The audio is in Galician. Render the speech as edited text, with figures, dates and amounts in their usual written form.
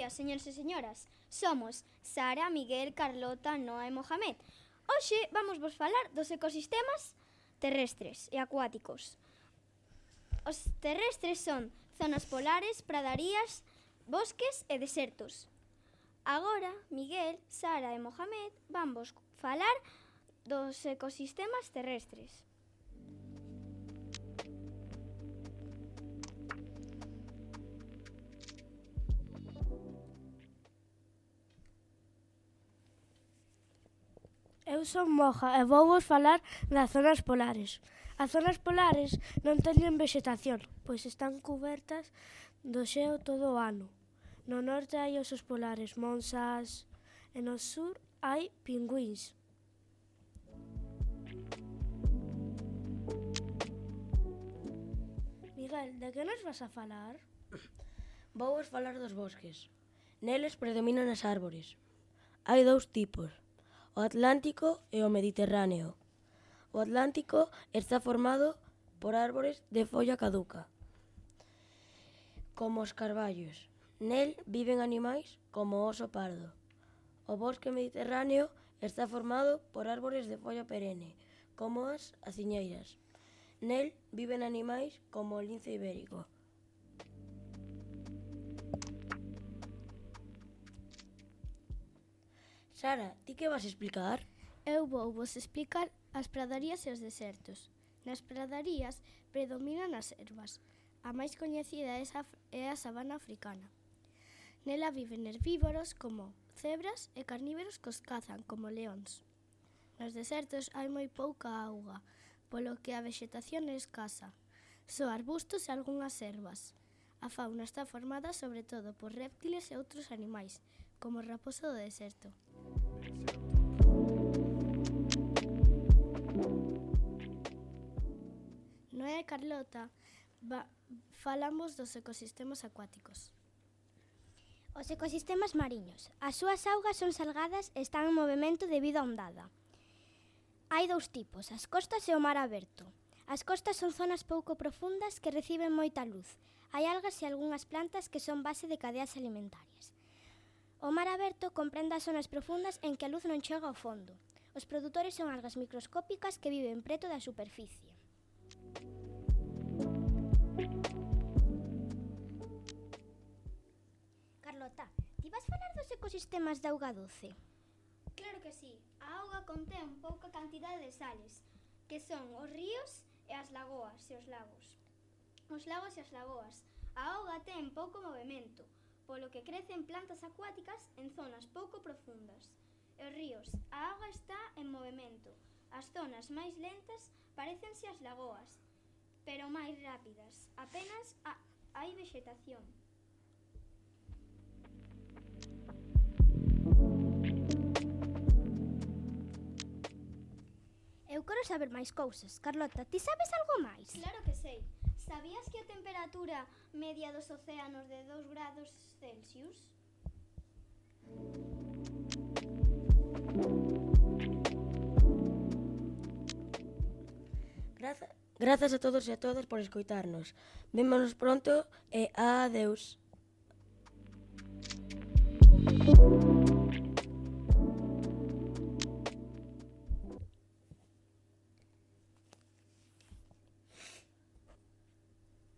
días, señores e señoras. Somos Sara, Miguel, Carlota, Noa e Mohamed. Hoxe vamos vos falar dos ecosistemas terrestres e acuáticos. Os terrestres son zonas polares, pradarías, bosques e desertos. Agora, Miguel, Sara e Mohamed van vos falar dos ecosistemas terrestres. Eu son Moja e vou vos falar das zonas polares. As zonas polares non teñen vexetación, pois están cubertas do xeo todo o ano. No norte hai osos polares, monsas, e no sur hai pingüíns. Miguel, de que nos vas a falar? Vou vos falar dos bosques. Neles predominan as árbores. Hai dous tipos, o Atlántico e o Mediterráneo. O Atlántico está formado por árbores de folla caduca, como os carballos. Nel viven animais como o oso pardo. O bosque mediterráneo está formado por árbores de folla perenne, como as aciñeiras. Nel viven animais como o lince ibérico. Sara, ti que vas explicar? Eu vou vos explicar as pradarías e os desertos. Nas pradarías predominan as ervas. A máis coñecida é a sabana africana. Nela viven herbívoros como cebras e carnívoros que os cazan como leóns. Nos desertos hai moi pouca auga, polo que a vexetación é escasa. Só arbustos e algunhas ervas. A fauna está formada sobre todo por réptiles e outros animais, como o raposo do deserto. Noa e Carlota falamos dos ecosistemas acuáticos. Os ecosistemas mariños. As súas augas son salgadas e están en movimento debido á ondada. Hai dous tipos, as costas e o mar aberto. As costas son zonas pouco profundas que reciben moita luz. Hai algas e algunhas plantas que son base de cadeas alimentarias. O mar aberto comprende as zonas profundas en que a luz non chega ao fondo. Os produtores son algas microscópicas que viven preto da superficie. Carlota, ti vas falar dos ecosistemas de auga doce? Claro que sí. A auga contén pouca cantidade de sales, que son os ríos e as lagoas e os lagos. Os lagos e as lagoas. A auga ten pouco movimento, polo que crecen plantas acuáticas en zonas pouco profundas. E os ríos, a auga está en movimento. As zonas máis lentas parécense as lagoas, pero máis rápidas. Apenas hai vexetación. Eu quero saber máis cousas. Carlota, ti sabes algo máis? Claro que sei. Sabías que a temperatura media dos océanos de 2 grados Celsius? Grazas a todos e a todas por escoitarnos. Vémonos pronto e adeus.